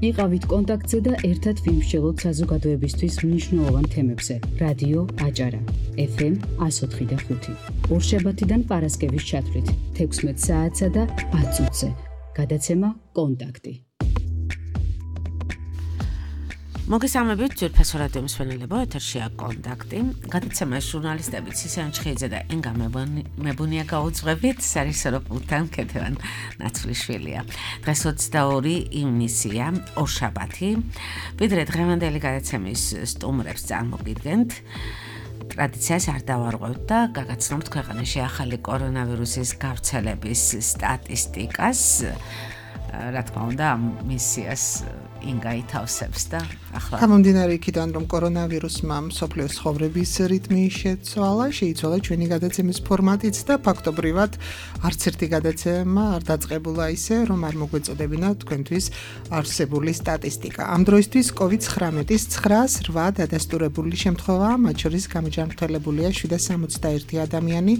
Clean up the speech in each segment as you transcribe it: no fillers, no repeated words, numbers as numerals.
იყავით კონტაქტზე და ერთად ვიმსჯელოთ საზოგადოებისთვის მნიშვნელოვან თემებზე. რადიო აჭარა, FM 104.5. ორშაბათიდან პარასკევის ჩათვლით 16 საათსა და 10 წუთზე. გადაცემა კონტაქტი. მოგესალმებით ძვირფასო რადიო მსმენელებო, ეთერშია კონტაქტი. გადაცემას ჟურნალისტები ცისიან ჩხეიძე და ენგა მებუნია გაუძღვებით, სარისორო პულთან ქეთევან ნაცვლიშვილია. დღეს 22 ივნისია, ორშაბათი. ვიდრე დღევანდელი გადაცემის სტუმრებს წარმოგიდგენთ, ტრადიციას არ დავარღვევთ და გაგაცნობთ ქვეყანაში ახალი კორონავირუსის გავრცელების სტატისტიკას. რა თქმა უნდა, მისიას ინგა ითავსებს და ახლა გამომდინარე იქიდან, რომ კორონავირუსმა მსოფლიოს ცხოვრების რიტმი შეიცვალა ჩვენი გადაცემის ფორმატიც და ფაქტობრივად არც ერთი გადაცემა არ დაწყებულა ისე, რომ არ მოგვეწოდებინა თქვენთვის არსებული სტატისტიკა. ამ დროისთვის COVID-19-ის 908 დადასტურებული შემთხვევაა, მათ შორის გამოჯანმრთელებულია 761 ადამიანი,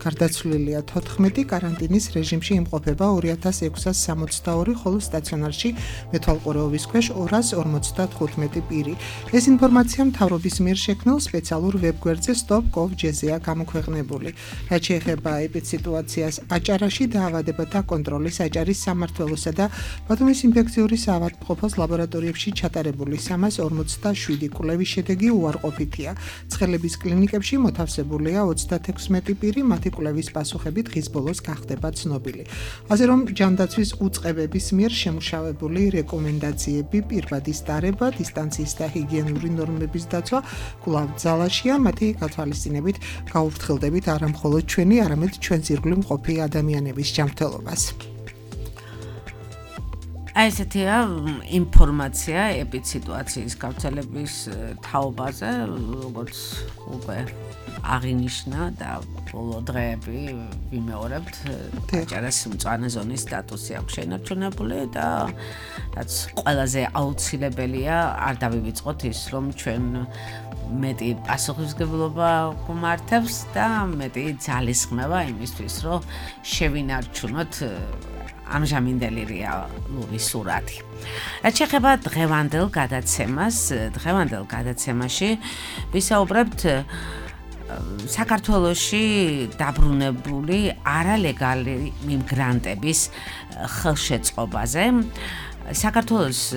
გარდაცვლილია 14, კარანტინის რეჟიმში იმყოფება 2662, ხოლო სტაციონარში მეთვალყურეობის ქვეშ 255 პირი. ეს ინფორმაცია მთავრობის მიერ შექმნილ სპეციალურ ვებგვერდზე stop.gov.gr-ია გამოქვეყნებული. რაც შეეხება ეპიდსიტუაციას აჭარაში, დაავადებათა კონტროლის აჭარის სამმართველოსა და ბათუმის ინფექციური საავადმყოფოს ლაბორატორიებში ჩატარებული 347 კვლევის შედეგი უარყოფითია. ცხელების კლინიკებში მოთავსებულია 36 პირი, მათი კვლევის პასუხები დღის ბოლოს გახდება ცნობილი. ასე რომ ჯანდაცვის უწყებების მიერ შემუშავებული რეკომენდაციები, პირბადის დარება, დისტანციის და ჰიგიენური ნორმების დაცვა კვლავ ძალაშია, მათი გათვალისწინებით გაუფრთხილდებით არა მხოლოდ ჩვენი, არამედ ჩვენს ირგვლივ მყოფი ადამიანების ჯანმრთელობას. აი ესეთია ინფორმაცია ეპიდსიტუაციის გავრცელების თაობაზე, როგორც უკვე აღინიშნა და ბოლო დღეები ვიმეორებთ, აჭარას მწვანე ზონის სტატუსი აქვს შენარჩუნებული და რაც ყველაზე აუცილებელია, არ დავივიწყოთ ის, რომ ჩვენ მეტი პასუხისმგებლობა გვმართებს და მეტი ძალისხმევა იმისთვის, რომ შევინარჩუნოთ ამჟამინდელი რეალური სურათი. რაც შეეხება დღევანდელ გადაცემაში ვისაუბრებთ საქართველოში დაბრუნებული არალეგალი მიგრანტების ხელშეწყობაზე. საქართველოს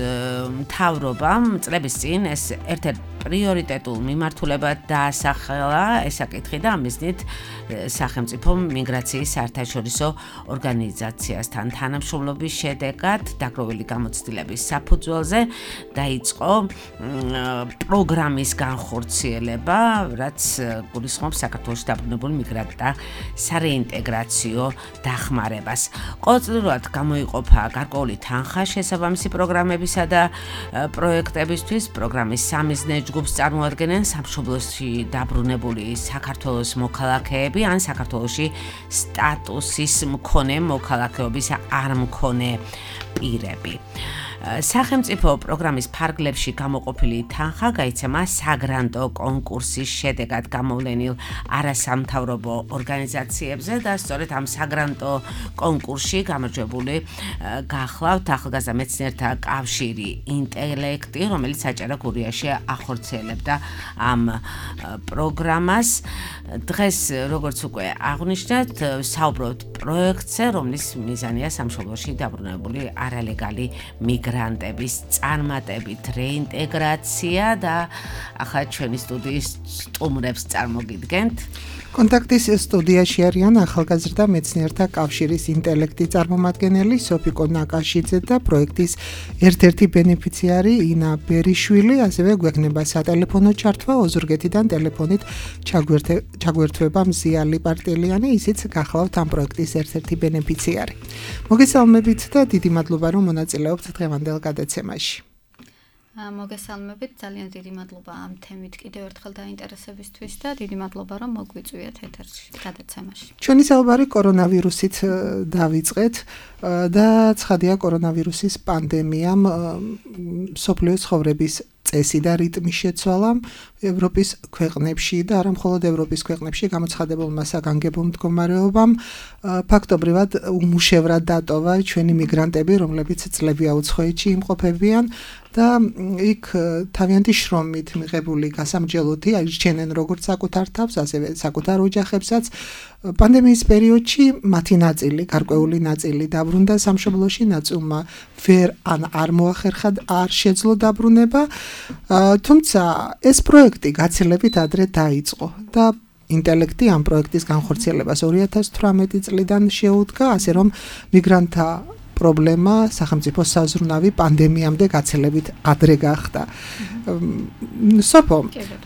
მთავრობამ წლების წინ ეს ერთ-ერთ პრიორიტეტულ მიმართულებად დაასახელა ეს საკითხი და ამ მიზნით სახელმწიფო მიგრაციის საერთაშორისო ორგანიზაციასთან თანამშრომლობის შედეგად დაგროვილი გამოცდილების საფუძველზე დაიწყო პროგრამის განხორციელება, რაც გულისხმობს საქართველოში დაბრუნებულ მიგრანტთა სარეინტეგრაციო დახმარებას. ყოველწლიურად გამოიყოფა გარკვეული თანხა შესაბამისი პროგრამებისა და პროექტებისთვის. პროგრამის სამიზნე ჯგუფს წარმოადგენენ სამშობლოში დაბრუნებული საქართველოს მოქალაქეები ან საქართველოში სტატუსის მქონე მოქალაქეობის არ მქონე პირები. სახელმწიფო პროგრამის ფარგლებში გამოყოფილი თანხა გაიცემა საგრანტო კონკურსის შედეგად გამოვლენილ არასამთავრობო ორგანიზაციებზე და სწორედ ამ საგრანტო კონკურსში გამარჯვებული გახლავთ ახალგაზრდა მეცნიერთა კავშირი ინტელექტი, რომელიც აჭარა გურიაში ახორციელებდა ამ პროგრამას. დღეს, როგორც უკვე აღვნიშნეთ, საუბრობთ პროექტზე, რომლის მიზანია სამშობლოში დაბრუნებული არალეგალი მიგრანტების წარმატებით რეინტეგრაცია და ახლა ჩვენი სტუდიის სტუმრებს წარმოგიდგენთ. კონტაქტის სტუდიაში არიან ახალგაზრდა მეცნიერთა კავშირის ინტელექტი წარმომადგენელი სოფიკო ნაკაშიძე და პროექტის ერთ-ერთი ბენეფიციარი ინა ბერიშვილი, ასევე გვექნება სატელეფონო ჩართვა ოზურგეთიდან ტელეფონით ჩაგვერთვება მზიალი პარტელიანი, ისიც გახლავთ ამ პროექტის ერთ-ერთი ბენეფიციარი. მოგესალმებით და დიდი მადლობა, რომ მონაწილეობთ დღევანდელ გადაცემაში. მოგესალმებით, ძალიან დიდი მადლობა ამ თემით კიდევ ერთხელ დაინტერესებისთვის და დიდი მადლობა, რომ მოგვიწვიეთ ეთერში გადაცემაში. ჩვენი საუბარი კორონავირუსით დავიწყეთ და ცხადია კორონავირუსის პანდემიამ მსოფლიოს ცხოვრების წესი და რიტმის შეცვალა ევროპის ქვეყნებში და არა მხოლოდ ევროპის ქვეყნებში გამოცხადებულმა საგანგებო მდგომარეობამ ფაქტობრივად უმუშევრად დატოვა ჩვენი მიგრანტები, რომლებიც წლები აუცხოეთში იმყოფებიან და იქ თავიანთი შრომით მიღებული გასამჯელოთი აირჩენენ როგორც საკუთარ თავს, ასევე საკუთარ ოჯახებსაც. პანდემიის პერიოდში მათი ნაწილი, გარკვეული ნაწილი დაბრუნდა სამშობლოში, ნაწილმა არ მოახერხა, არ შეძლო დაბრუნება, თუმცა ეს პროექტი გაცილებით ადრე დაიწყო და ინტელექტი ამ პროექტის განხორციელებას 2018 წლიდან შეუდგა, ასე რომ მიგრანტთა პრობლემა სახელმწიფო საზრუნავი პანდემიამდე გაცილებით ადრე გახდა. სოფო,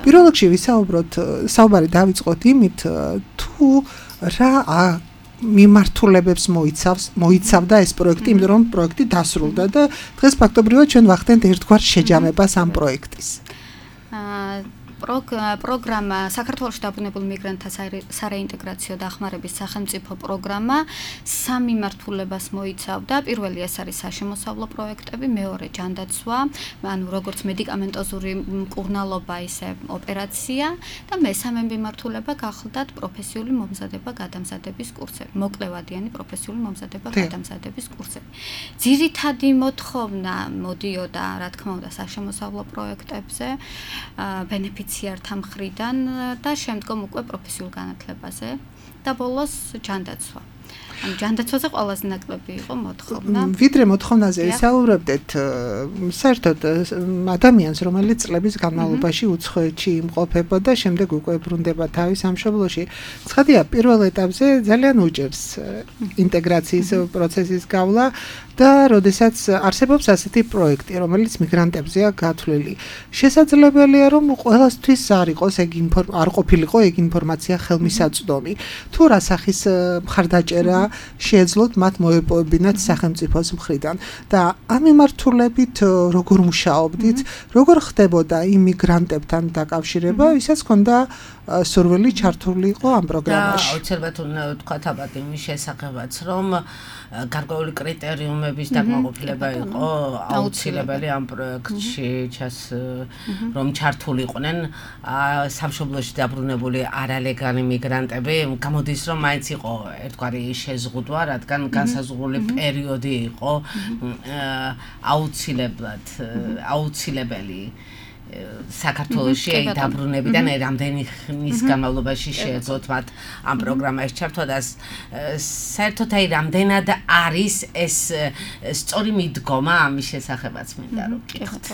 პირველ რიგში ვისაუბროთ, საუბარი დავიწყოთ იმით, თუ რა მიმართულებებს მოიცავდა ეს პროექტი, იმიტომ რომ პროექტი დასრულდა და დღეს ფაქტობრივად ჩვენ ვახდენთ ერთგვარ შეჯამებას ამ პროექტის. პროგრამა საქართველოში დაბრუნებულ მიგრანტთა სარეინტეგრაციო დახმარების სახელმწიფო პროგრამა სამი მიმართულებას მოიცავდა. პირველი ეს არის საშემოსავლო პროექტები, მეორე ჯანდაცვა, ანუ როგორც მედიკამენტოზური მკურნალობა, ისე ოპერაცია და მესამე მიმართულება გახლდათ პროფესიული მომზადება გადამზადების კურსები, მოკლევადიანი პროფესიული მომზადება გადამზადების კურსები. ძირითადი მოთხოვნა მოდიოდა, რა თქმა უნდა, საშემოსავლო პროექტებზე, ბენეფიციართა მხრიდან და შემდგომ უკვე პროფესიულ განათლებაზე და ბოლოს ჯანდაცვა. ანუ ჯანდაცვაზე ყველაზე ნაკლები იყო მოთხოვნა. ვიდრე მოთხოვნაზე ვისაუბრებდეთ, საერთოდ ადამიანს, რომელიც წლების განმავლობაში უცხოეთში იმყოფება და შემდეგ უკვე ბრუნდება თავის სამშობლოში, ცხადია, პირველ ეტაპზე ძალიან უჭერს ინტეგრაციის პროცესის გავლა და როდესაც არსებობს ასეთი პროექტი, რომელიც მიგრანტებზეა გათვლილი. შესაძლებელია, რომ ყველასთვის არ ყოფილიყო ეგ ინფორმაცია ხელმისაწვდომი. თუ რა სახის მხარდაჭერა შეეძლოთ მათ მოეპოვებინათ სახელმწიფოს მხრიდან და ამ მიმართულებით როგორ მუშაობდით, როგორ ხდებოდა იმიგრანტებთან დაკავშირება, ვისაც ჰქონდა სურვილი ჩართულიყო ამ პროგრამაში. აუცილებლად უნდა ვთქვათ აბათ იმის შესახებაც, რომ გარკვეული კრიტერიუმების დაკმაყოფილება იყო აუცილებელი ამ პროექტში, რომ ჩართულიყვნენ სამშობლოში დაბრუნებული არალეგალი მიგრანტები. გამოდის, რომ მაინც იყო ერთგვარი შეზღუდვა, რადგან განსაზღვრული პერიოდი იყო აუცილებელი საქართველოში დაბრუნებიდან რამდენი ხნის განმავლობაში შეეძლოთ მათ ამ პროგრამაში ჩართვა და საერთოდ რამდენად არის ეს სწორი მიდგომა ამის შესახებაც მინდა რომ გითხოთ.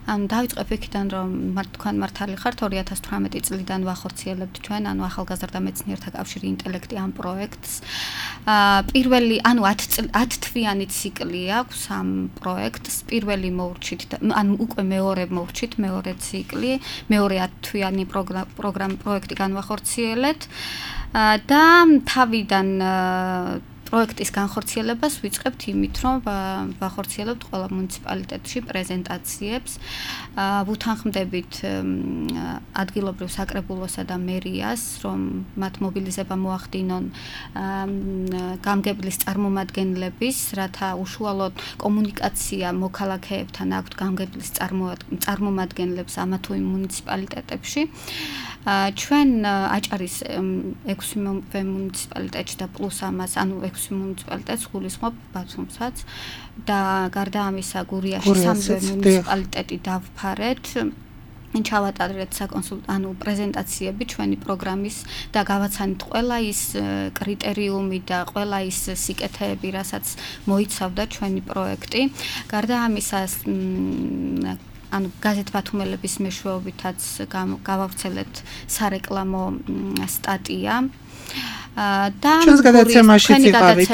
ანუ დავიწყებ იქიდან, რომ თქვენ მართალი ხართ, 2018 წლიდან ვახორციელებთ ჩვენ, ანუ ახალგაზრდა მეცნიერთა კავშირი ინტელექტი ამ პროექტს. პირველი, ანუ 10 თვიანი ციკლი აქვს ამ პროექტს. პირველი მოურჩით, ანუ უკვე მეორე მოურჩით, მეორე ციკლი, მეორე 10 თვიანი პროექტი განვახორციელებთ და თავიდან პროექტის განხორციელებას ვიწყებთ იმით, რომ ვახორციელებთ ყველა მუნიციპალიტეტში პრეზენტაციებს, ვუთანხმდებით ადგილობრივ საკრებულოსა და მერიას, რომ მათ მობილიზება მოახდინონ გამგებლის წარმომადგენლების, რათა უშუალოდ კომუნიკაცია მოქალაქეებთან აქვთ გამგებლის წარმომადგენლებს ამა თუ იმ მუნიციპალიტეტებში. ჩვენ აჭარის 6 მუნიციპალიტეტში და პლუს ამას, ანუ 6 მუნიციპალიტეტს გულისხმობ ბათუმსაც და გარდა ამისა გურიაში 3 მუნიციპალიტეტი დავფარეთ. ჩავატარეთ ანუ პრეზენტაციები ჩვენი პროგრამის და გავაცანით ყველა ის კრიტერიუმი და ყველა ის სიკეთეები, რასაც მოიცავდა ჩვენი პროექტი. გარდა ამისა ანუ გაზეთ ბათუმელების მეშვეობითაც გავავრცელეთ სარეკლამო სტატია და ჩვენს გადაცემაშიც იყავით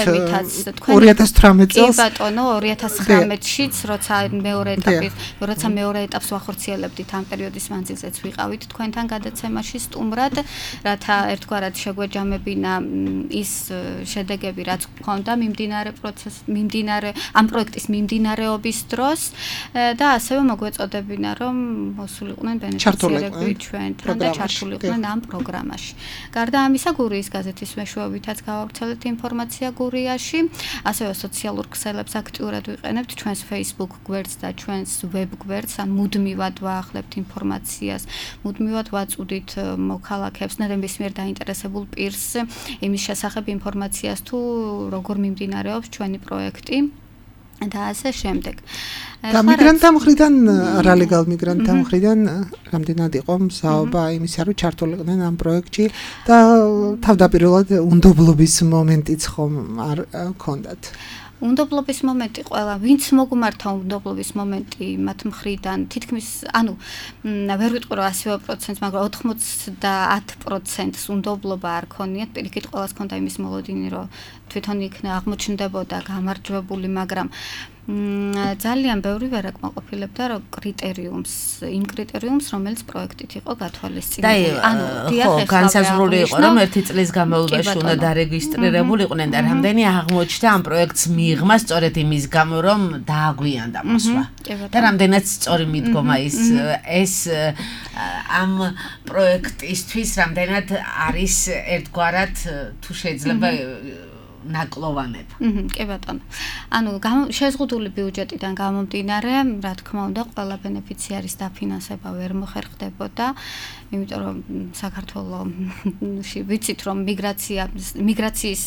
2018 წელს. კი ბატონო, 2019-შიც, როცა მეორე ეტაპს ვახორციელებდით ამ პერიოდის მანძილზეც ვიყავით თქვენთან გადაცემაში სტუმრად, რათა ერთგვარად შეგვეჯამებინა ის შედეგები, რაც გქონდა ამ პროექტის მიმდინარეობის დროს და ასევე მოგვეწოდებინა, რომ მოსულიყვნენ ბენეფიციარები ჩვენთან და ჩართულიყვნენ ამ პროგრამაში. გარდა ამისა, გურიის გაზეთის მეშვეობითაც გავავრცელეთ ინფორმაცია გურიაში, ასევე სოციალურ ქსელებს აქტიურად ვიყენებთ ჩვენს Facebook გვერდს და ჩვენს web გვერდს, ან მუდმივად ვაახლებთ ინფორმაციას, მუდმივად ვაწუდით მოქალაქეებს, ნებისმიერ დაინტერესებულ პირს იმის შესახებ ინფორმაციას თუ როგორ მიმდინარეობს ჩვენი პროექტი და ასე შემდეგ. და მიგრანტთა მხრიდან, არალეგალ მიგრანტთა მხრიდან რამდენად იყო მსაობა იმისა, რომ ჩართულიყვნენ ამ პროექტში და თავდაპირველად უნდობლობის მომენტიც ხომ არ ჰქონდათ? უნდობლობის მომენტი ყველა, ვინც მოგმართა უნდობლობის მომენტი მათ მხრიდან, თითქმის, ვერ ვიტყვი რომ 100%, მაგრამ 90% უნდობლობა არ ქონიათ, პირიქით ყველას ქონდა იმის მოლოდინი, რომ თვითონ იქნა აღმოჩნდებოდა გამარჯვებული, მაგრამ ძალიან ბევრი ვერ აკმაყოფილებდა რომ იმ კრიტერიუმს, რომელიც პროექტით იყო გათვალისწინებული. განსაზღვრული იყო, რომ 1 წლის განმავლობაში უნდა დარეგისტრირებულიყვნენ და რამდენი აღმოჩნდა ამ პროექტს მიღმა სწორედ იმის გამო, რომ დააგვიანდა მოსვლა. და რამდენად სწორი მიდგომა ეს ამ პროექტისთვის რამდენად არის ერთგვარად თუ შეიძლება ნაკლოვანება. კი ბატონო. შეზღუდული ბიუჯეტიდან გამომდინარე, რა თქმა უნდა, ყველა ბენეფიციარის დაფინანსება ვერ მოხერხდებოდა, იმიტომ რომ საქართველოში ვიცით რომ მიგრაციის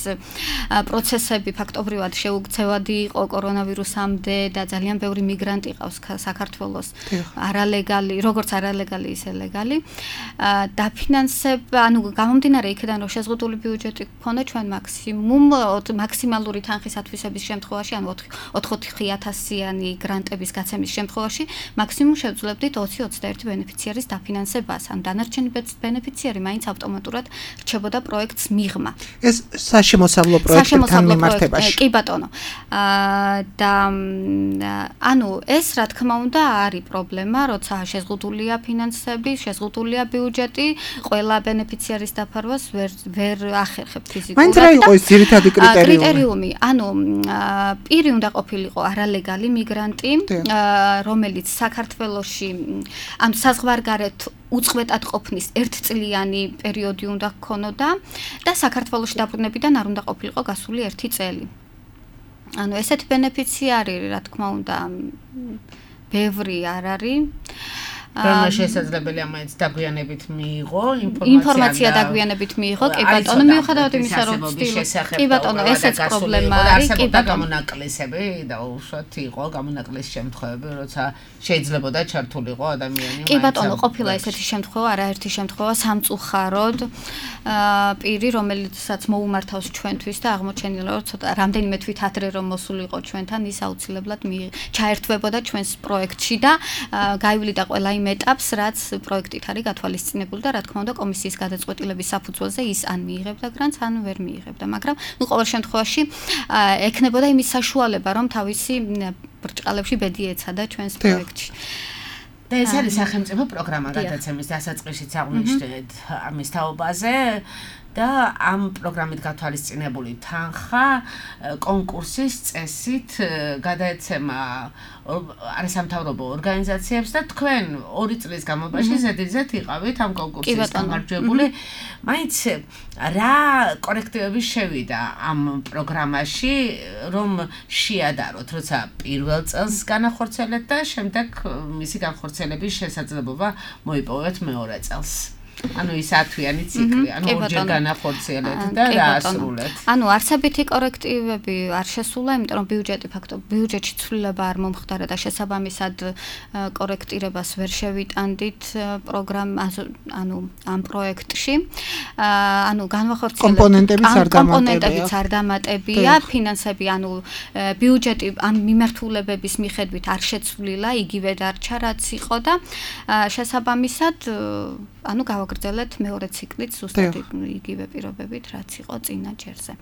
პროცესები ფაქტობრივად შეუქცევადი იყო კორონავირუსამდე და ძალიან ბევრი მიგრანტი ყავს საქართველოს არალეგალი, როგორც არალეგალი ისე ლეგალი. დაფინანსება, გამომდინარე იქიდან რომ შეზღუდული ბიუჯეტი ქონდა ჩვენ მაქსიმალური თანხის ათვისების შემთხვევაში, 4-5,000-იანი გრანტების გაცემის შემთხვევაში, მაქსიმუმ შევძლებდით 20-21 ბენეფიციარის დაფინანსებას, ან დანარჩენი ბენეფიციარი მაინც ავტომატურად რჩებოდა პროექტს მიღმა. ეს საშემოსავლო პროექტებთან მიმართებაში. კი ბატონო. და ეს რა თქმა უნდა არის პრობლემა, როცა შეზღუდულია ფინანსები, შეზღუდულია ბიუჯეტი, ყველა ბენეფიციარის დაფარვას ვერ ახერხებთ ფიზიკურად. მაინც რა იყო ეს ძირითადი კრიტერიუმი, პირი უნდა ყოფილიყო არალეგალი მიგრანტი, რომელიც საქართველოში საზღვარგარეთ უწყვეტად ყოფნის 1-წლიანი პერიოდი უნდა ჰქონოდა და საქართველოში დაბრუნებიდან არ უნდა ყოფილიყო გასული 1 წელი. ესეთი ბენეფიციარი, რა თქმა უნდა, ბევრი არ არის. რომელი შესაძლებელია მაინც დაგვიანებით მიიღო ინფორმაცია დაგვიანებით მიიღო, კი ბატონო, მიუხედავად იმისა, რომ კი ბატონო, ესეც პრობლემა არის, კი ბატონო, გამონაკლისები და უშუალოდ იყო გამონაკლის შემთხვევები, როცა შეიძლებოდა ჩართულიყო ადამიანი. კი ბატონო, ყოფილა ესეთი შემთხვევა, არაერთი შემთხვევა სამწუხაროდ პირი, რომელიცაც მოუმართავს ჩვენთვის და აღმოჩენილა, რომ ცოტა რამდენიმე თვით ადრე რომ მოსულიყო ჩვენთან, ის აუცილებლად ჩაერთვებოდა ჩვენს პროექტში და გაივლიდა ყველა იმ ეტაპს, რაც პროექტით არის გათვალისწინებული და რა თქმა უნდა კომისიის გადაწყვეტილების საფუძველზე ის ან მიიღებდა გრანტს, ან ვერ მიიღებდა, მაგრამ ყოველ შემთხვევაში ექნებოდა იმის საშუალება, რომ თავისი ბრჭყალებში ბედი ეცადა ჩვენს პროექტში. და ეს არის სახელმწიფო პროგრამა გადაცემის დასაწყისშიც აღვნიშნეთ ამის თაობაზე და ამ პროგრამით გათვალისწინებული თანხა კონკურსის წესით გადაეცემა არასამთავრობო ორგანიზაციებს და თქვენ 2 წლის განმავლობაში ზედიზედ იყავით ამ კონკურსის გამარჯვებული. მაინც რა კორექტივები შევიდა ამ პროგრამაში, რომ შეადაროთ, როცა პირველ წელს განახორციელეთ და შემდეგ მისი განხორციელების შესაძლებლობა მოიპოვეთ მეორე წელს. ის 10-თვიანი ციკლი, ორჯერ განახორციელეთ და დაასრულეთ. არსებითი კორექტივები არ შესულა, იმიტომ რომ ბიუჯეტში ცვლილება არ მომხდარა და შესაბამისად კორექტირებას ვერ შევიტანდით ამ პროექტში. კომპონენტებიც არ დამატებია, ფინანსები, ბიუჯეტი ამ მიმართულებების მიხედვით არ შეცვლილა, იგივე დარჩა, რაც იყო და შესაბამისად გავაგრძელეთ მეორე ციკლით ზუსტად იგივე პირობებით, რაც იყო წინა ჯერზე.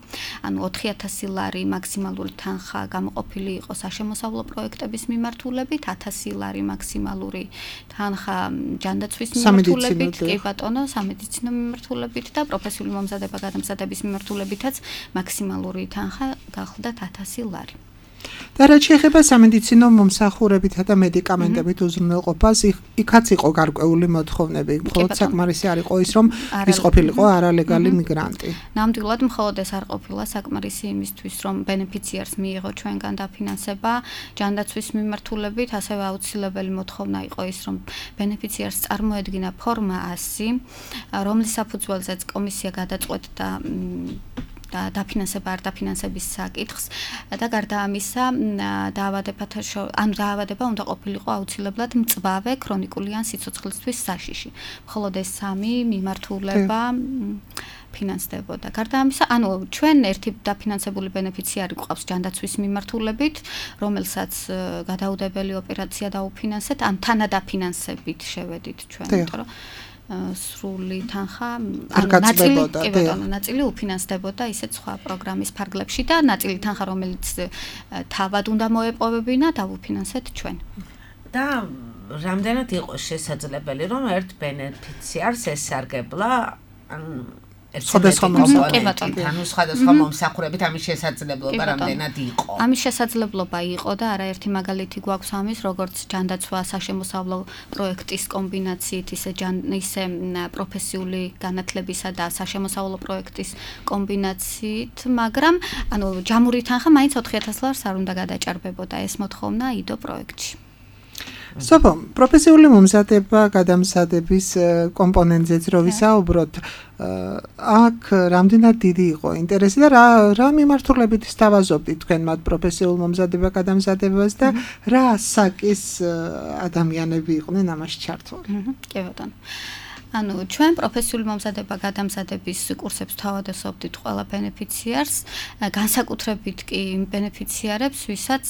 4,000 ლარი მაქსიმალური თანხა გამოყოფილი იყო საშემოსავლო პროექტების მიმართულებით, 1,000 ლარი მაქსიმალური თანხა ჯანდაცვის მიმართულებით, კი ბატონო, სამედიცინო მიმართულებით და პროფესიული მომზადება-გადამზადების მიმართულებითაც მაქსიმალური თანხა გახლდათ 1,000 ლარი. და რაც შეეხება სამედიცინო მომსახურებითა და მედიკამენტებით უზრუნველყოფას, იქაც იყო გარკვეული მოთხოვნები. მხოლოდ საკმარისი არ იყო ის, რომ ის ყოფილიყო არალეგალი მიგრანტი. ნამდვილად მხოლოდ ეს არ ყოფილა საკმარისი იმისთვის, რომ ბენეფიციარს მიიღო ჩვენგან დაფინანსება ჯანდაცვის მიმართულებით, ასევე აუცილებელი მოთხოვნა იყო ის, რომ ბენეფიციარს წარმოედგინა ფორმა 100, რომლის საფუძველზეც კომისია გადაწყვეტდა და დაფინანსება არ დაფინანსების საკითხს და გარდა ამისა დაავადება უნდა ყოფილიყო აუცილებლად მწვავე ქრონიკული ან სიცოცხლისთვის საშიში. მხოლოდ ეს 3 მიმართულება ფინანსდებოდა. გარდა ამისა, ჩვენ ერთი დაფინანსებული ბენეფიციარი გვყავს ჯანდაცვის მიმართულებით, რომელსაც გადაუდებელი ოპერაცია დაუფინანსეთ, ან თანადაფინანსებით შევედით ჩვენ, იმიტომ რომ სრული თანხა ნაწილი უფინანსდებოდა ისეთ სხვა პროგრამის ფარგლებში და ნაწილი თანხა რომელიც თავად უნდა მოეპოვებინა დავუფინანსეთ ჩვენ. და რამდენად იყო შესაძლებელი რომ ერთ ბენეფიციარს ესარგებლა სხვადასხვა მომსახურებით ამის შესაძლებლობა რამდენად იყო? ამის შესაძლებლობა იყო და არაერთი მაგალითი გვაქვს ამის, როგორც ჯანდაცვა საშემოსავლო პროექტის კომბინაციით, ისე პროფესიული განათლებისა და საშემოსავლო პროექტის კომბინაციით, მაგრამ ჯამური თანხა მაინც 4000 ლარს არ უნდა გადაჭარბებოდა ეს მოთხოვნა იდო პროექტში. სოფო, პროფესიული მომზადება გადამზადების კომპონენტზეც რო ვისაუბროთ, აქ რამდენად დიდი იყო ინტერესი და რა მიმართულებით სთავაზობდით თქვენ მათ პროფესიულ მომზადება გადამზადებას და რა საკის ადამიანები იყვნენ ამაში ჩართული? კი ბატონო. ჩვენ პროფესიული მომზადება გადამზადების კურსებს თავადასხმობდით ყველა ბენეფიციარს, განსაკუთრებით კი იმ ბენეფიციარებს, ვისაც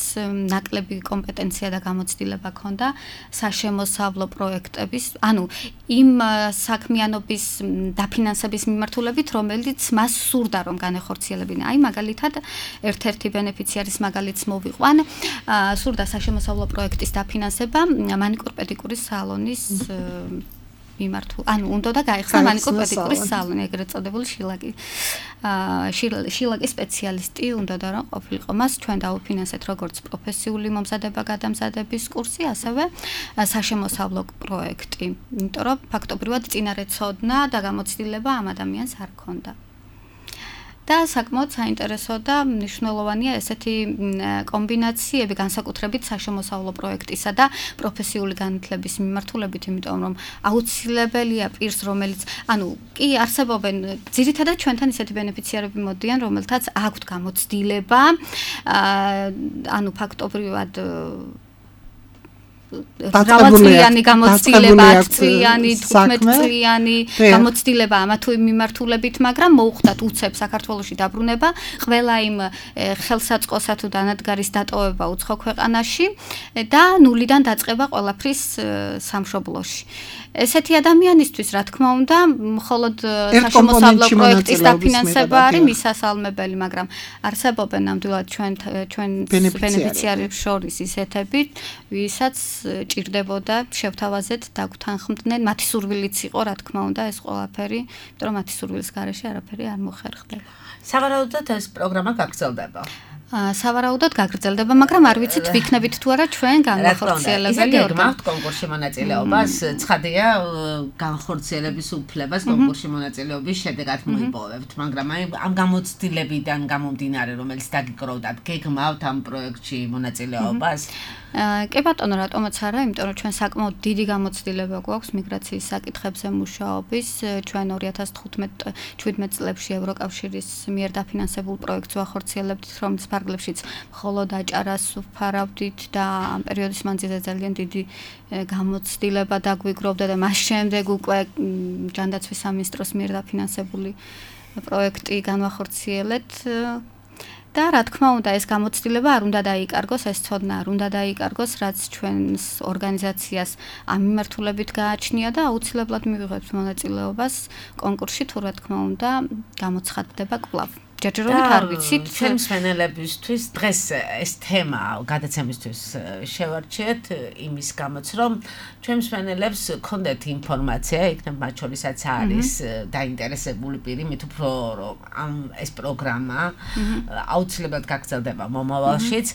ნაკლები კომპეტენცია და გამოცდილება ჰქონდა საშემოსავლო პროექტების, იმ საქმიანობის დაფინანსების მიმართულებით, რომელიც მას სურდა რომ განეხორციელებინა. მაგალითად, ერთ-ერთი ბენეფიციარის მაგალითს მოვიყვან, სურდა საშემოსავლო პროექტის დაფინანსება მანიკურ-პედიკურის სალონის უნდა და გაიხსნა მანიკურ-პედიკურის სალონი, ეგრეთ წოდებული შილაკის სპეციალისტი უნდა და რომ ყოფილიყო. მას ჩვენ დაუფინანსეთ როგორც პროფესიული მომზადება გადამზადების კურსი, ასევე საშემოსავლო პროექტი. იმიტომ რომ ფაქტობრივად წინარე ცოდნა და გამოცდილება ამ ადამიანს არ ჰქონდა. და საკმაოდ საინტერესო და მნიშვნელოვანია ესეთი კომბინაციები განსაკუთრებით საშემოსავლო პროექტისა და პროფესიული განათლების მიმართულებით, იმიტომ რომ აუცილებელია პირს, რომელიც, კი არსებობენ ძირითადად ჩვენთან ისეთი ბენეფიციარები მოდიან, რომელთაც აქვთ გამოცდილება, ფაქტობრივად დავაწლიანი გამოცდილება, 10 წლიანი, 15 წლიანი გამოცდილება ამა თუ იმ მიმართულებით, მაგრამ მოუხდათ უცებ საქართველოში დაბრუნება, ყველა იმ ხელსაწყოსა თუ დანადგარის დატოვება უცხო ქვეყანაში და ნულიდან დაწყება ყველაფრის სამშობლოში. ესეთი ადამიანისთვის, რა თქმა უნდა, მხოლოდ საშემოსავლო პროექტის დაფინანსება არის მისასალმებელი, მაგრამ არსებობენ ნამდვილად ჩვენ ბენეფიციარებს შორის ისეთები, ვისაც ჭირდებოდა შევთავაზეთ დაგვთანხმდნენ, მათი სურვილიც იყო, რა თქმა უნდა, ეს ყველაფერი, იმიტომ რომ მათი სურვილის გარეშე არაფერი არ მოხერხდება. სავარაუდოდ ეს პროგრამა გაგრძელდება. სავარაუდოდ გაგრძელდება, მაგრამ არ ვიცით ვიქნებით თუ არა ჩვენ განხორციელებელი ორგანო კონკურსში მონაწილეობას, ცხადია განხორციელების უფლებას კონკურსში მონაწილეობის შედეგად მოიპოვებთ, მაგრამ ამ გამოცდილებიდან გამომდინარე, რომელიც დაგიკროვდათ, გეგმავთ ამ პროექტში მონაწილეობას? კი ბატონო, რატომაც არა, იმიტომ რომ ჩვენ საკმაოდ დიდი გამოცდილება გვაქვს მიგრაციის საკითხებზე მუშაობის. ჩვენ 2015-17 წლებში ევროკავშირის მიერ დაფინანსებულ პროექტს ვახორციელებდით, რომლის ფარგლებშიც მხოლოდ აჭარას ვფარავდით და ამ პერიოდის მანძილზე ძალიან დიდი გამოცდილება დაგვიგროვდა და მას შემდეგ უკვე ჯანდაცვის სამინისტროს მიერ დაფინანსებული პროექტი განვახორციელეთ. და რა თქმა უნდა ეს გამოცდილება არ უნდა დაიკარგოს, ეს ცოდნა არ უნდა დაიკარგოს, რაც ჩვენს ორგანიზაციას ამ მიმართულებით გააჩნია და აუცილებლად მივიღებთ მონაწილეობას კონკურსში, თუ რა თქმა უნდა გამოცხადდება კვლავ. ჯერჯერობით არ ვიცით ჩემს ფენელებისთვის დღეს ეს თემა გადაცემისთვის შევარჩიეთ იმის გამოც რომ ჩემს ფენელებს ქონდეთ ინფორმაცია იქნებ მათ შორისაც არის დაინტერესებული პირი მით უფრო რომ ამ ეს პროგრამა აუცილებლად გაგრძელდება მომავალშიც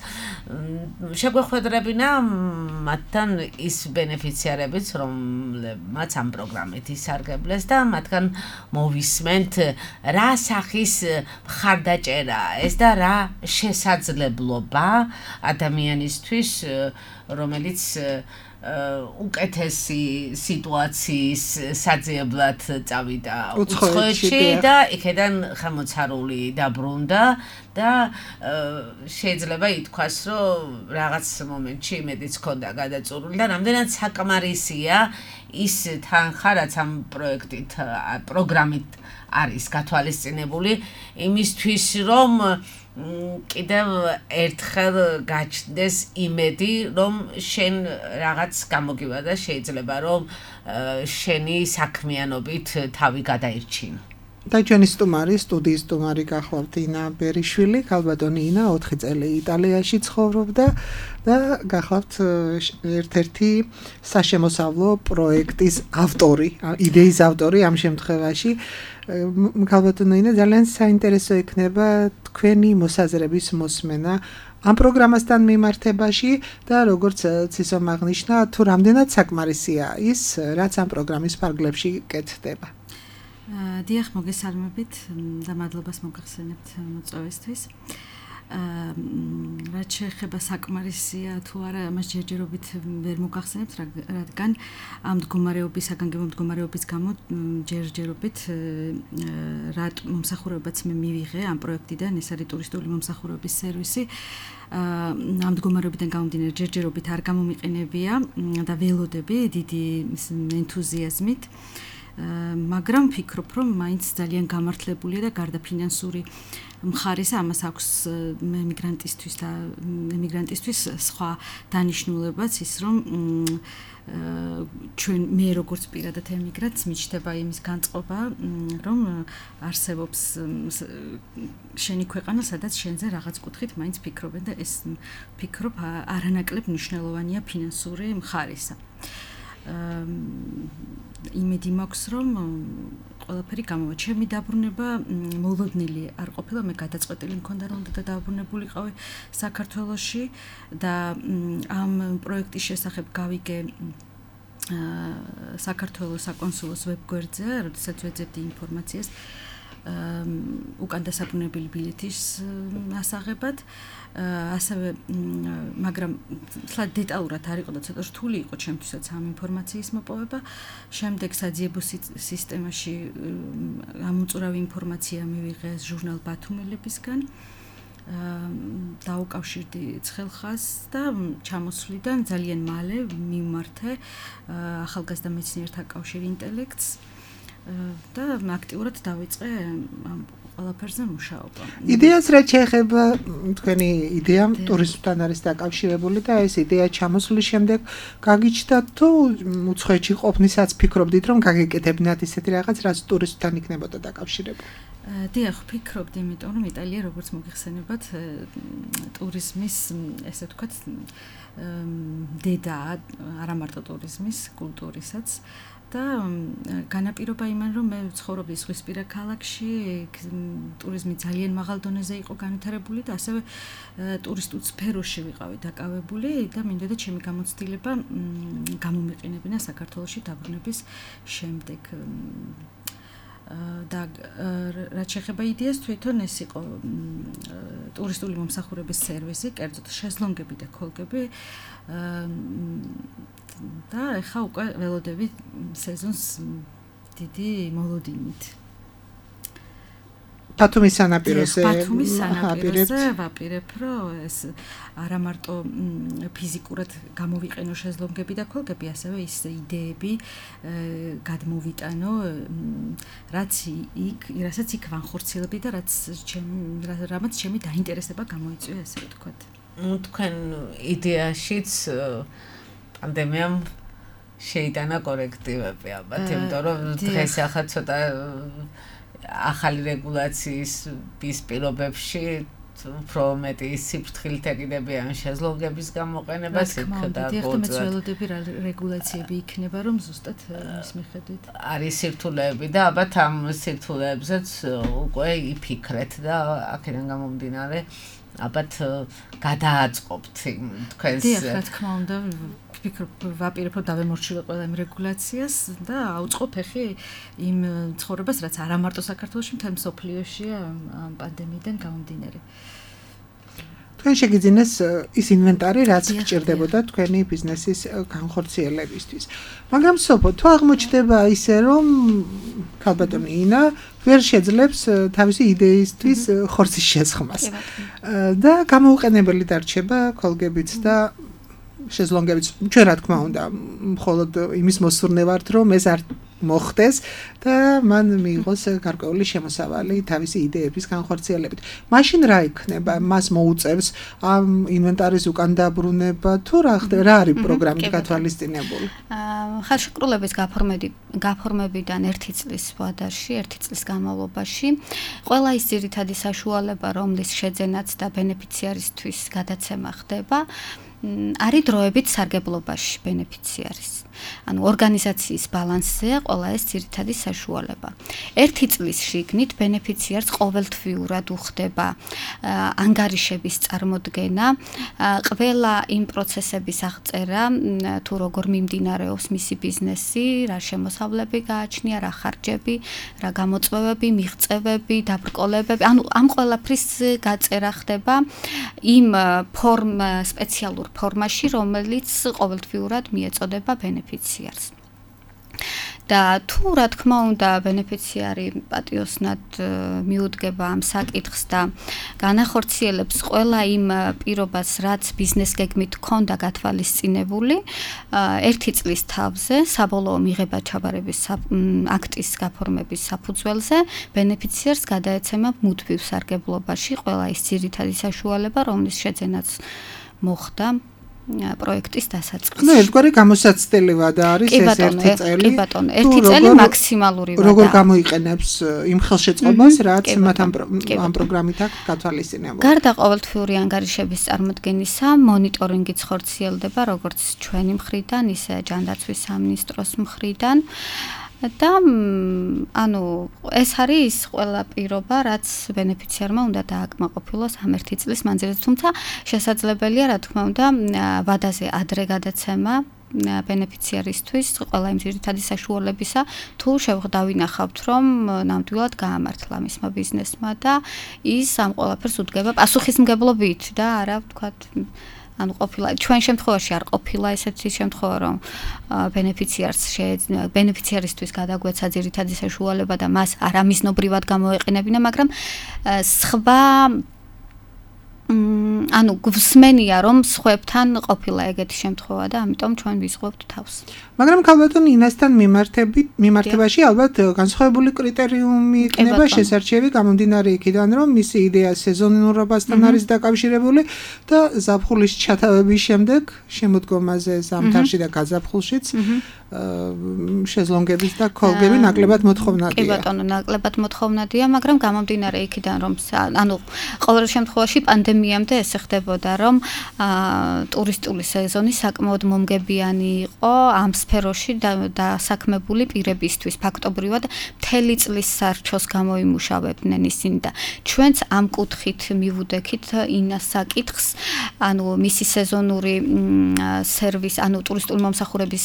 შეგვეხვედრებინა მათთან ის ბენეფიციარებიც რომლებმაც ამ პროგრამით ისარგებლეს და მათგან მოვისმენთ რა სახის ხარდაჭერა ეს და რა შესაძლებლობა ადამიანისთვის რომელიც უკეთესი სიტუაციის საძიებლად წავიდა უცხოეთში და იქიდან ხელმოცარული დაბრუნდა და შეიძლება ითქვას რომ რაღაც მომენტში იმედიც ჰქონდა გადაწურული და რამდენად საკმარისია ის თანხა რაც ამ პროგრამით არის გათვალისწინებული იმისთვის რომ კიდევ ერთხელ გაჩნდეს იმედი რომ შენ რაღაც გამოგივადა შეიძლება რომ შენი საქმიანობით თავი გადაირჩინო და ჩვენი სტუდიის სტუმარი გახლავთ ინა ბერიშვილი, ქალბატონი ინა 4 წელი იტალიაში ცხოვრობდა და გახლავთ ერთ-ერთი საშემოსავლო პროექტის ავტორი, იდეის ავტორი ამ შემთხვევაში. ქალბატონი ინა ძალიან საინტერესო იქნება თქვენი მოსაზრების მოსმენა ამ პროგრამასთან მიმართებაში და როგორც ცისომ აღნიშნა, თუ რამდენად საკმარისია ის, რაც ამ პროგრამის ფარგლებში კეთდება. დიახ, მოგესალმებით და მადლობას მოგახსენებთ მოწვევისთვის. რაც შეეხება საკმარისია თუ არა, ამას ჯერჯერობით ვერ მოგახსენებთ, რადგან ამ მდგომარეობისაგან მდგომარეობის გამო ჯერჯერობით რატ მომსახურებაც მე მივიღე ამ პროექტიდან, ეს არის ტურისტული მომსახურების სერვისი. ამ მდგომარეობიდან გამომდინარე ჯერჯერობით არ გამომიყენებია და ველოდები დიდი ენთუზიაზმით. მაგრამ ვფიქრობ, რომ მაინც ძალიან გამართლებულია და გარდა ფინანსური მხარისა ამას აქვს ემიგრანტისთვის სხვა დანიშნულებაც ის რომ მე როგორც პირადად ემიგრანტს მიჩნდება იმის განწყობა რომ არსებობს შენი ქვეყანა სადაც შენზე რაღაც კუთხით მაინც ფიქრობენ და ეს ფიქრობ არანაკლებ მნიშვნელოვანია ფინანსური მხარისა. იმედი მაქვს რომ ყველაფერი გამოვა. ჩემი დაბრუნება მოლოდნილი არ ყოფილა, მე გადაწყვეტილი მქონდა რომ და დაბრუნებულიყავი საქართველოში და ამ პროექტის შესახებ გავიგე საქართველოს საკონსულოს ვებგვერდზე, როდესაც ვეძებდი ინფორმაციას უკან დასაბრუნებელი ბილეთის ასაღებად. ასევე მაგრამ სულ დეტალურად არ იყო და ცოტა რთული იყო ჩემთვისაც ამ ინფორმაციის მოპოვება. შემდეგ საძიებო სისტემაში ამოწურავი ინფორმაცია მივიღე ჟურნალ ბათუმელებისგან. დაუკავშირდი ცხელხას და ჩამოსვლიდან ძალიან მალე მიმართე ახალგაზრდა მეცნიერთა კავშირი ინტელექტს და აქტიურად დავიწყე ამ ყველაფერზე მუშაობა. იდეას რაც შეეხება თქვენი იდეა ტურიზმთან არის დაკავშირებული და ეს იდეა ჩამოსვლის შემდეგ გაგიჩნდათ თუ უცხოეთში ყოფნისაც ფიქრობდით რომ გაგეკეთებინათ ისეთი რაღაც რაც ტურიზმთან იქნებოდა დაკავშირებული? დიახ, ვფიქრობდი, იმიტომ რომ იტალია როგორც მოგიხსენებათ ტურიზმის ესე ვთქვათ დედაა, არა მარტო ტურიზმის, კულტურისაც. და განაპირობა იმან რომ მე ცხოვრობდი ზღვისპირა ქალაქში, ტურიზმი ძალიან მაღალ დონეზე იყო განვითარებული და ასევე ტურისტულ სფეროში ვიყავი დაკავებული და მინდოდა ჩემი გამოცდილება გამომეყენებინა საქართველოში დაბრუნების შემდეგ. და რაც შეეხება იდეას, თვითონ ეს იყო ტურისტული მომსახურების სერვისი, კერძოდ შეზლონგები და ქოლგები. და ეხა უკვე ველოდები სეზონს დიდი მოლოდინით. ბათუმის სანაპიროზე ვაპირებ, რომ ეს არა მარტო ფიზიკურად გამოვიყენო შეზლონგები და ქოლგები, ასევე ის იდეები გადმოვიტანო, რასაც იქ ვანხორციელებდი და რამაც ჩემი დაინტერესება გამოიწვია, ესე ვთქვათ. თქვენ იდეაშიც პანდემიამ შეიტანა კორექტივები ალბათ, იმიტომ რომ დღეს ახლა ცოტა ახალი რეგულაციის პირობებში უფრო მეტი სიფრთხილით ეკიდებიან შეზლონგების გამოყენებას იქ და გოწვევები რეგულაციები იქნება რომ ზუსტად ის მიხედვით არის სირთულეები და ალბათ ამ სირთულეებზეც უკვე იფიქრეთ და აქედან გამომდინარე ალბათ გადააწყობთ თქვენს რა თქმა უნდა ვაპირებ რომ დავემორჩილო ყველა იმ რეგულაციას და აუწყო ფეხი იმ ცხოვრებას რაც არა მარტო საქართველოში მთელ მსოფლიოშია ამ პანდემიიდან გამომდინარე თქვენ შეგიძინეს ის ინვენტარი რაც გჭირდებოდა თქვენი ბიზნესის განხორციელებისთვის მაგრამ სოფო თუ აღმოჩნდება ისე რომ ქალბატონი ინა ვერ შეძლებს თავისი იდეისთვის ხორცის შესხმას და გამოუყენებელი დარჩება კოლგებიც და შეზლონგებიც ჩვენ რა თქმა უნდა მხოლოდ იმის მოსურნე ვართ რომ ეს არ მოხდეს და მან მიიღოს გარკვეული შემოსავალი თავისი იდეების განხორციელებით. მაშინ რა იქნება? მას მოუწევს ამ ინვენტარის უკან დაბრუნება თუ რა არის პროგრამით გათვალისწინებული? ხალხშეკრულების გაფორმებიდან 1 წლის ვადაში, 1 წლის განმავლობაში ყველა ის ძირითადი საშუალება, რომლის შეძენაც და ბენეფიციარისთვის გადაცემა ხდება, არის დროებით სარგებლობაში ბენეფიციარის. ანუ ორგანიზაციის ბალანსზეა ყველა ეს ძირითადი საშუალება. 1 წლის შიგნით ბენეფიციარს ყოველთვიურად უხდება ანგარიშების წარმოდგენა, ყველა იმ პროცესების აღწერა, თუ როგორ მიმდინარეობს მისი ბიზნესი, რა შემოსავლები გააჩნია, რა ხარჯები, რა გამოწვევები, მიღწევები, დაბრკოლებები, ანუ ამ ყველაფრის გაწერა ხდება იმ სპეციალურ ფორმაში, რომელიც ყოველთვიურად მიეწოდება ბენეფიციარს. და თუ რა თქმა უნდა ბენეფიციარი პატიოსნად მიუდგება ამ საკითხს და განახორციელებს ყველა იმ პირობას, რაც ბიზნეს გეგმით ჰქონდა გათვალისწინებული, 1 წლის თავზე საბოლოო მიღება ჩაბარების აქტის გაფორმების საფუძველზე ბენეფიციარს გადაეცემა მუდმივ სარგებლობაში ყველა ის ძირითადი საშუალება, რომლის შეძენაც მოხდა პროექტის დასაწყისში. ნუ ერთგვარი გამოსაცდელი ვადა არის ეს 1 წელი. კი ბატონო, 1 წელი მაქსიმალური ვადა. როგორ გამოიყენებს იმ ხელშეწყობას, რაც მათ ამ პროგრამით აქვს გათვალისწინებული. გარდა ყოველთვიური ანგარიშების წარმოდგენისა, მონიტორინგიც ხორციელდება როგორც ჩვენი მხრიდან, ისე ჯანდაცვის სამინისტროს მხრიდან. და ანუ ეს არის ყველა პირობა, რაც ბენეფიციარმა უნდა დააკმაყოფილოს ამ 1 წლის მანძილზე, თუმცა შესაძლებელია, რა თქმა უნდა, ვადაზე ადრე გადაცემა ბენეფიციარისთვის ყველა იმ ძირითადი საშუალებისა, თუ შევღდავინახავთ, რომ ნამდვილად გაამართლა მისმა ბიზნესმა და ის ამ ყველაფერს უდგება პასუხისმგებლობით და არა, ვთქვათ, ანუ ყოფილა ჩვენ შემთხვევაში არ ყოფილა ესეთი შემთხვევა რომ ბენეფიციარისთვის გადაგვეცა ძირითადი საშუალება და მას არამიზნობრივად გამოეყენებინა, მაგრამ სხვა ანუ გვსმენია რომ სხვებთან ყოფილა ეგეთი შემთხვევა და ამიტომ ჩვენ ვიზღვევთ თავს. მაგრამ ქალბატონ ინასთან მიმართებაში ალბათ განსხვავებული კრიტერიუმი იქნება შესარჩევი გამომდინარე იქიდან რომ მისი იდეა სეზონურობასთან არის დაკავშირებული და ზაფხულის ჩათავების შემდეგ შემოდგომაზე ზამთარში და გაზაფხულშიც შეზლონგების და კოლგები ნაკლებად მოთხოვნადია. კი ბატონო, ნაკლებად მოთხოვნადია, მაგრამ გამომდინარე იქიდან რომ ანუ ყოველ შემთხვევაში პანდემიამდე ესე ხდებოდა რომ ტურისტული სეზონი საკმაოდ მომგებიანი იყო ამ სფეროში დასაქმებული პირებისთვის. ფაქტობრივად მთელი წლის სარჩოს გამოიმუშავებდნენ ისინი და ჩვენც ამ კუთხით მივუდექით ინას საკითხს, ანუ მისი სეზონური სერვისი, ანუ ტურისტული მომსახურების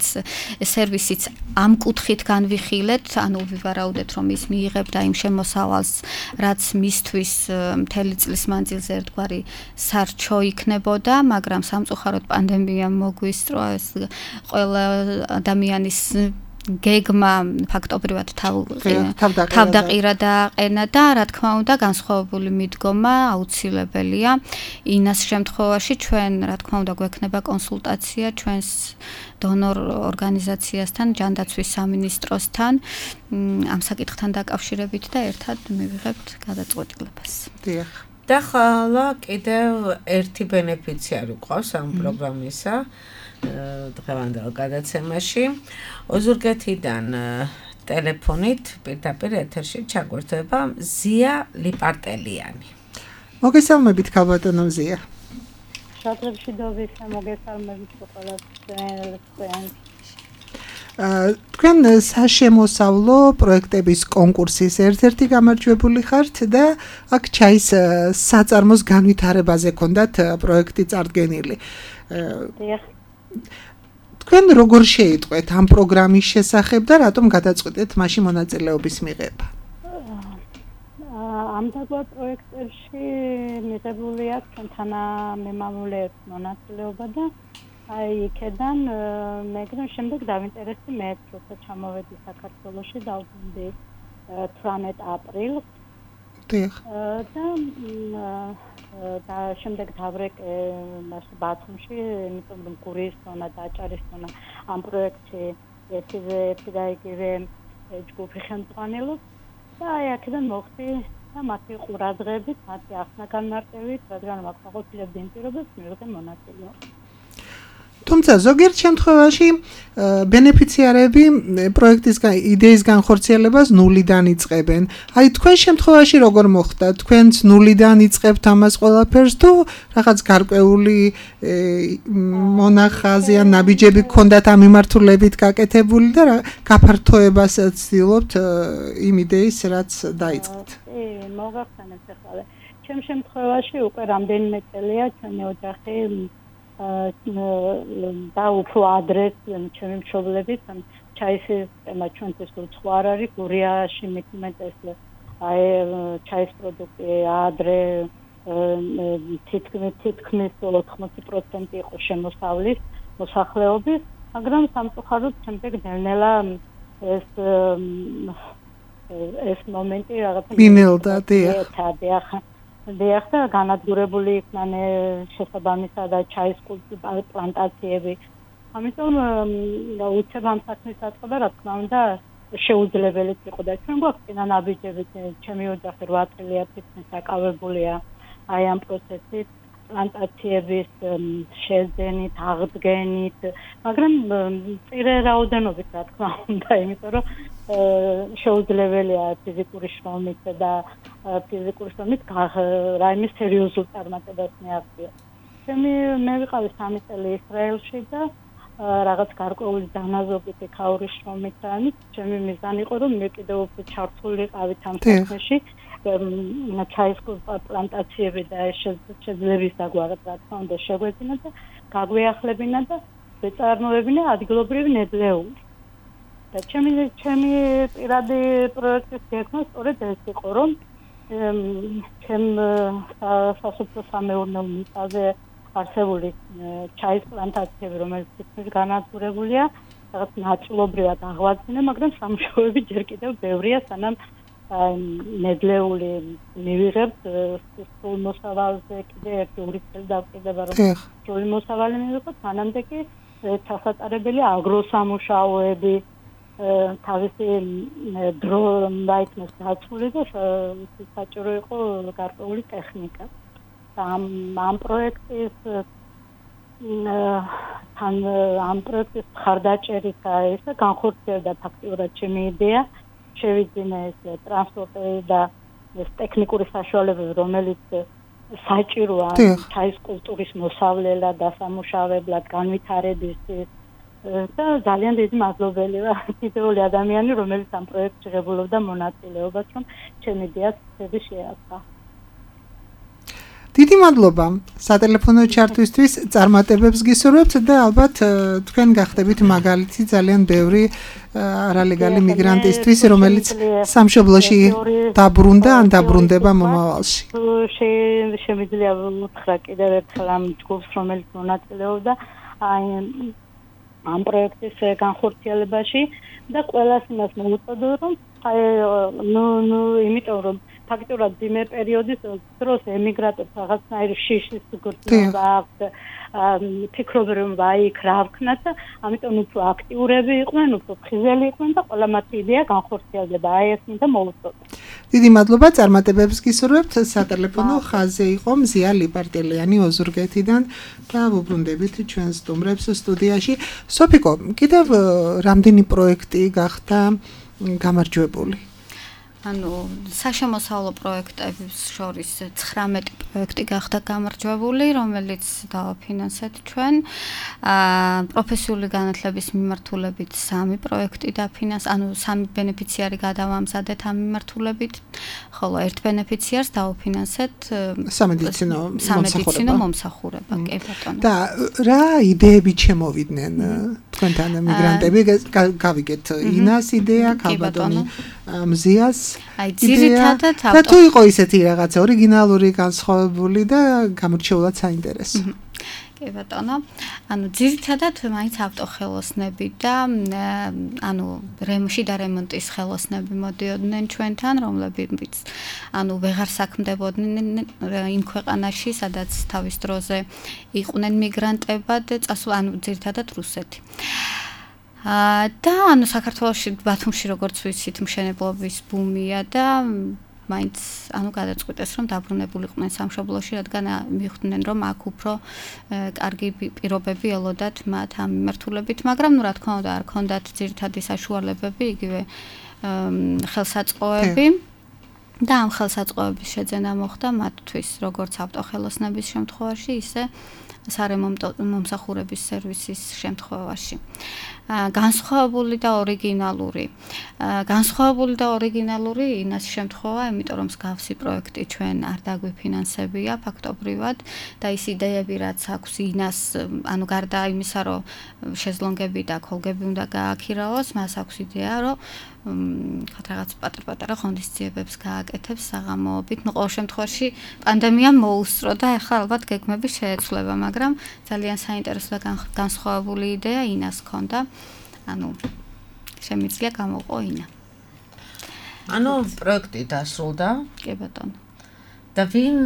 სერვისიც ამ კუთხით განვიხილეთ, ანუ ვივარაუდეთ რომ ის მიიღებდა იმ შემოსავალს, რაც მისთვის მთელი წლის მანძილზე ერთგვარი სარჩო იქნებოდა, მაგრამ სამწუხაროდ პანდემიამ მოგვისწრო ეს ყველა ადამიანის გეგმა ფაქტობრივად თავდაყირა დააყენა და რა თქმა უნდა განსხვავებული მიდგომა აუცილებელია. ინას შემთხვევაში ჩვენ რა თქმა უნდა გვექნება კონსულტაცია ჩვენს დონორ ორგანიზაციასთან, ჯანდაცვის სამინისტროსთან ამ საკითხთან დაკავშირებით და ერთად მივიღებთ გადაწყვეტილებას. დიახ. და ხალა კიდევ ერთი ბენეფიციარი ყავს ამ პროგრამისა დღევანდელ გადაცემაში. ოზურგეთიდან ტელეფონით პირდაპირ ეთერში ჩაგვერთვება ზია ლიპარტელიანი. მოგესალმებით ქალბატონო ზია. შადრებშიდობის მოგესალმებით ყველას. თქვენ საშემოსავლო პროექტების კონკურსის ერთ-ერთი გამარჯვებული ხართ და აქ ჩაის საწარმოს განვითარებაზე ქონდათ პროექტი წარდგენილი. თქვენ როგორ შეიტყვეთ ამ პროგრამის შესახებ და რატომ გადაწყვეტეთ მასში მონაწილეობის მიღება? ამ დაგვარ პროექტებში მიღებული აქვს თანამემამულეებს მონაწილეობა და აი იქიდან მე შემდეგ დავინტერესდი მეც, როცა ჩამოვედი საქართველოში დავბრუნდი 18 აპრილს. და შემდეგ დავრეკე ბათუმში, იმიტომ რომ გურიის ზონა და აჭარის ზონა ამ პროექტში ერთი და იგივე ჯგუფი ხელმძღვანელობს და აი აქედან მოხდი და მათი ყურადღებით, მათი ახსნა-განმარტებით, რადგან მაყოფილებდი იმ პირობებს მივიღე მონაწილეობა. თუმცა ზოგიერთ შემთხვევაში ბენეფიციარები პროექტის იდეის განხორციელებას ნულიდან იწყებენ. აი თქვენ შემთხვევაში როგორ მოხდა? თქვენც ნულიდან იწყებთ ამას ყველაფერს თუ რაღაც გარკვეული მონახაზი ან ნაბიჯები გქონდათ ამ მიმართულებით გაკეთებული და გაფართოებას ცდილობთ იმ იდეის რაც დაიწყეთ? მოგახსენეთ ახლა. ჩემ შემთხვევაში უკვე რამდენიმე წელია ჩემი ოჯახი და უფრო ადრე ჩემი მშობლებით ჩაის სისტემა ჩვენთვის უცხო არ არის გურიაში მithumetes აი ჩაის პროდუქტი ადრე თითქმის 80% იყო შემოსავლის მოსახლეობის მაგრამ სამწუხაროდ შემდეგ ნელ-ნელა ეს მომენტი რაღაცა მინელდა და განადგურებული იქნან შესაბამისად ჩაის პლანტაციები. ამიტომ უცებ ამ საქმის დაწყება რა თქმა უნდა შეუძლებელიც იყო და ჩვენ გვაქვს წინა ნაბიჯებით ჩემი ოჯახი 8 წელია თითქმის დაკავებულია აი ამ პროცესით პლანტაციების შეძენით, აღდგენით, მაგრამ წირე რაოდენობით რა თქმა უნდა, იმიტომ რომ შეუძლებელია ფიზიკური შრომით და ფიზიკური შრომით რაიმე სერიოზულ წარმატებას მიაღწია. მე ვიყავი 3 წელი ისრაელში და რაღაც გარკვეული დანაზოგი ქაურის შრომით და ჩემი მიზანი იყო რომ მე კიდევ უფრო ჩართულიყავით ამ საქმეში. ჩაის პლანტაციები და შეძლების დაგვარად რა თქმა უნდა შეგვეძინა და გაგვეახლებინა და ვეწარმოებინა ადგილობრივი ნედლეული. და ჩემი პირადი პროექტის გეგმა სწორედ ეს იყო, რომ ჩემ სასოფლო-სამეურნეო მიწაზე არსებული ჩაის პლანტაციები, რომელიც თითქმის განადგურებულია, რაღაც ნაწილობრივად აღვაძინა, მაგრამ სამუშაოები ჯერ კიდევ ბევრია, სანამ ნედლეული მივიღებთ სულ მოსავალზე კიდე ერთი 2 წელი დავყიდება რომ სრული მოსავალი მივიღოთ, მანამდე კი ჩასატარებელი აგროსამუშაოები თავისი დრო დაიქმნეს გაცვლილი და საჭირო იყო გარკვეული ტექნიკა. ამ პროექტის მხარდაჭერით ეს განხორციელდა ფაქტიურად ჩემი იდეა. შევიძინე ეს ტრანსპორტი და ეს ტექნიკური საშუალებები, რომელიც საჭიროა ჩაის კულტურის მოსავლელად, დასამუშავებლად, განვითარებისთვის და ძალიან დიდი მადლობელი ვარ თითოეული ადამიანი, რომელიც ამ პროექტში ღებულობდა მონაწილეობას, რომ ჩემი იდეას ცები შეასწა. დიდი მადლობა სატელეფონო ჩართვისთვის, წარმატებებს გისურვებთ და ალბათ თქვენ გახდებით მაგალითი ძალიან ბევრი არალეგალი მიგრანტისთვის, რომელიც სამშობლოში დაბრუნდა ან დაბრუნდება მომავალში. შემიძლია უთხრა კიდევ ერთხელ ამ ჯგუფს, რომელიც მონაწილეობდა ამ პროექტის განხორციელებაში და ყველას იმას მოუწოდო, რომ იმიტომ რომ ფაქტურად ძიმე პერიოდის დროს ემიგრანტებს რაღაცნაირი შიშის გრძნობა აქვს, ფიქრობენ რომ იქ რა ვქნათ და ამიტომ უფრო აქტიურები იყვნენ, უფრო ფხიზელი იყვნენ და ყველა მათი იდეა განხორციელდება. აი ეს მინდა მოუწოდო. დიდი მადლობა, წარმატებებს გისურვებთ. სატელეფონო ხაზზე იყო მზია ლიპარტელიანი ოზურგეთიდან და ვუბრუნდებით ჩვენ სტუმრებს სტუდიაში. სოფიკო, კიდევ რამდენი პროექტი გახდა გამარჯვებული? ანუ საშემოსავლო პროექტების შორის 19 პროექტი გახდა გამარჯვებული, რომელიც დავაფინანსეთ ჩვენ. პროფესიული განათლების მიმართულებით 3 პროექტი დაფინანსეთ, ანუ 3 ბენეფიციარი გადავამზადეთ ამ მიმართულებით, ხოლო ერთ ბენეფიციარს დავაფინანსეთ სამედიცინო მომსახურება, კი ბატონო. და რა იდეები შემოვიდნენ თქვენთან მიგრანტები? გავიგეთ ინას იდეა, ქალბატონი მზიას ძირითადად და თუ იყო ისეთი რაღაცა ორიგინალური, განსხვავებული და გამორჩეულად საინტერესო. კი ბატონო, ანუ ძირითადად მაინც ავტოხელოსნები და ანუ შიდა რემონტის ხელოსნები მოდიოდნენ ჩვენთან, რომლებიც ანუ ვეღარ საქმდებოდნენ იმ ქვეყანაში, სადაც თავის დროზე იყვნენ მიგრანტებად, ანუ ძირითადად რუსეთი. და ანუ საქართველოში ბათუმში როგორც ვიცით მშენებლობის ბუმია და მაინც ანუ გადაწყვიტეს რომ დაბრუნებულიყვნენ სამშობლოში, რადგან მიხვდნენ რომ აქ უფრო კარგი პირობები ელოდათ მათ ამ მიმართულებით, მაგრამ რა თქმა უნდა არ ქონდათ ძირითადი საშუალებები, იგივე ხელსაწყოები. და ამ ხელსაწყოების შეძენა მოხდა მათთვის როგორც ავტოხელოსნების შემთხვევაში, ისე სარემონტო მომსახურების სერვისის შემთხვევაში. განსხვავებული და ორიგინალური ინას შემთხვევა, იმიტომ რომ მსგავსი პროექტი ჩვენ არ დაგვიფინანსებია ფაქტობრივად და ის იდეები რაც აქვს ინას, ანუ გარდა იმისა, რომ შეზლონგები და ქოლგები უნდა გააქირაოს, მას აქვს იდეა, რომ რაღაც პატარ-პატარა ღონისძიებებს გააკეთებს საღამოობით. ნუ ყოველ შემთხვევაში პანდემიამ მოუსწრო და ახლა ალბათ გეგმები შეეცვლება, მაგრამ ძალიან საინტერესო და განსხვავებული იდეა ინას ჰქონდა. ანუ შემიძლია გამოვყო ინა. ანუ პროექტი დასრულდა? კი ბატონო. და ვინ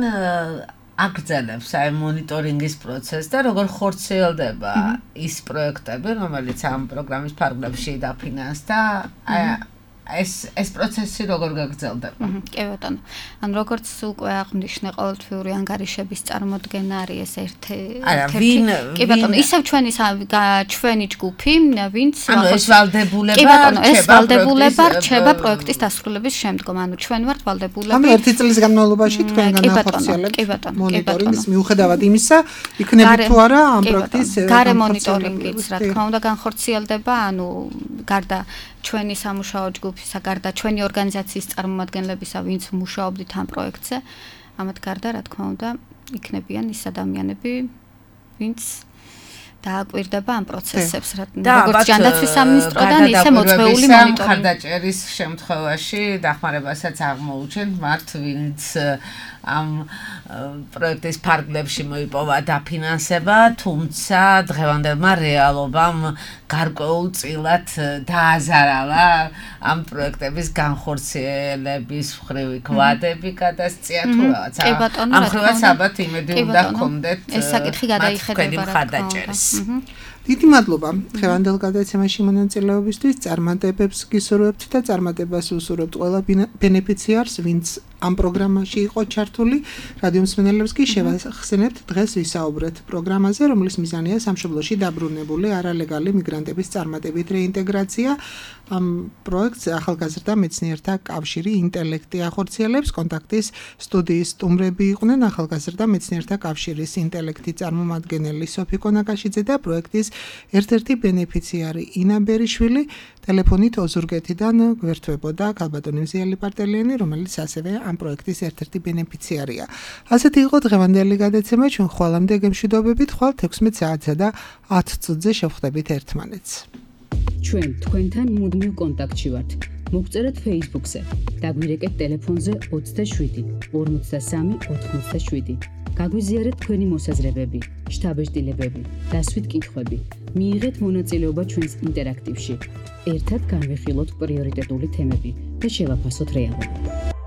აგრძელებს აი მონიტორინგის პროცესს და როგორ ხორციელდება ის პროექტები, რომელიც ამ პროგრამის ფარგლებში დაფინანსდა? ეს პროცესი როგორ გაგრძელდება? კი ბატონო. ანუ როგორც უკვე აღნიშნე, ყოველთვიური ანგარიშების წარმოდგენა არის ეს ერთ-ერთი. კი ბატონო, ისევ ჩვენი ჯგუფი, ვინც ანუ ეს ვალდებულება რჩება პროექტის დასრულების შემდგომ. ანუ ჩვენ ვართ ვალდებულები. ანუ ერთი წლის განმავლობაში თქვენ განახორციელებთ მონიტორინგის მიუხედავად იმისა, იქნებით თუ არა ამ პროექტის გარე მონიტორინგიც, რა თქმა უნდა, განხორციელდება, ანუ გარდა ჩვენი სამუშაო ჯგუფისა, გარდა ჩვენი ორგანიზაციის წარმომადგენლებისა, ვინც მუშაობდით ამ პროექტზე, ამათ გარდა, რა თქმა უნდა, იქნებიან ის ადამიანები, ვინც დააკვირდება ამ პროცესებს, როგორც ჯანდაცვის სამინისტროდან, ისე მოწვეული მონიტორინგი. ხარდაჭერის შემთხვევაში დახმარებასაც აღმოუჩენთ მათ, ვინც ამ პროექტის ფარგლებში მოიპოვა დაფინანსება, თუმცა დღევანდელმა რეალობამ გარკვეულწილად დააზარალა ამ პროექტების განხორციელების მხრივი კვადები გადასწია თუ რაღაც. ამ ხრივაც ალბათ იმედი უნდა ჰქონდეთ ეს საკითხი გადაიხედება ხარდაჭერის. დიდი მადლობა დღევანდელ გადაცემაში მონაწილეობისთვის. წარმატებებს გისურვებთ და წარმატებას უსურვებთ ყველა ბენეფიციარს, ვინც ამ პროგრამაში იყო ჩართული. რადიო მსმენელებს კი შევახსენებთ დღეს ვისაუბრეთ პროგრამაზე, რომლის მიზანია სამშობლოში დაბრუნებული არალეგალი მიგრანტების წარმატებით რეინტეგრაცია. ამ პროექტს ახალგაზრდა მეცნიერთა კავშირი ინტელექტი ახორციელებს. კონტაქტის სტუდიის სტუმრები იყვნენ ახალგაზრდა მეცნიერთა კავშირის ინტელექტი წარმომადგენელი სოფიკო ნაკაშიძე და პროექტის ერთ-ერთი ბენეფიციარი ინა ბერიშვილი. ტელეფონით ოზურგეთიდან გვერდთვებოდა ქალბატონი მზიალი პარტელიანი, რომელიც ასევე ამ პროექტის ერთ-ერთი ბენეფიციარია. ასეთი იყო დღევანდელი გადაცემა. ჩვენ ხვალამდე გემშვიდობებით, ხვალ 16 საათსა და 10 წუთზე შევხვდებით ერთმანეთს. ჩვენ თქვენთან მუდმივ კონტაქტში ვართ. მოგწერეთ Facebook-ზე. დაგვირეკეთ ტელეფონზე 27 53 87. გაგვიზიარეთ თქვენი მოსაზრებები, შთაბეჭდილებები, დასვით კითხვები. მიიღეთ მონაწილეობა ჩვენს ინტერაქტივში. ერთად განვიხილოთ პრიორიტეტული თემები და შევაფასოთ რეალობა.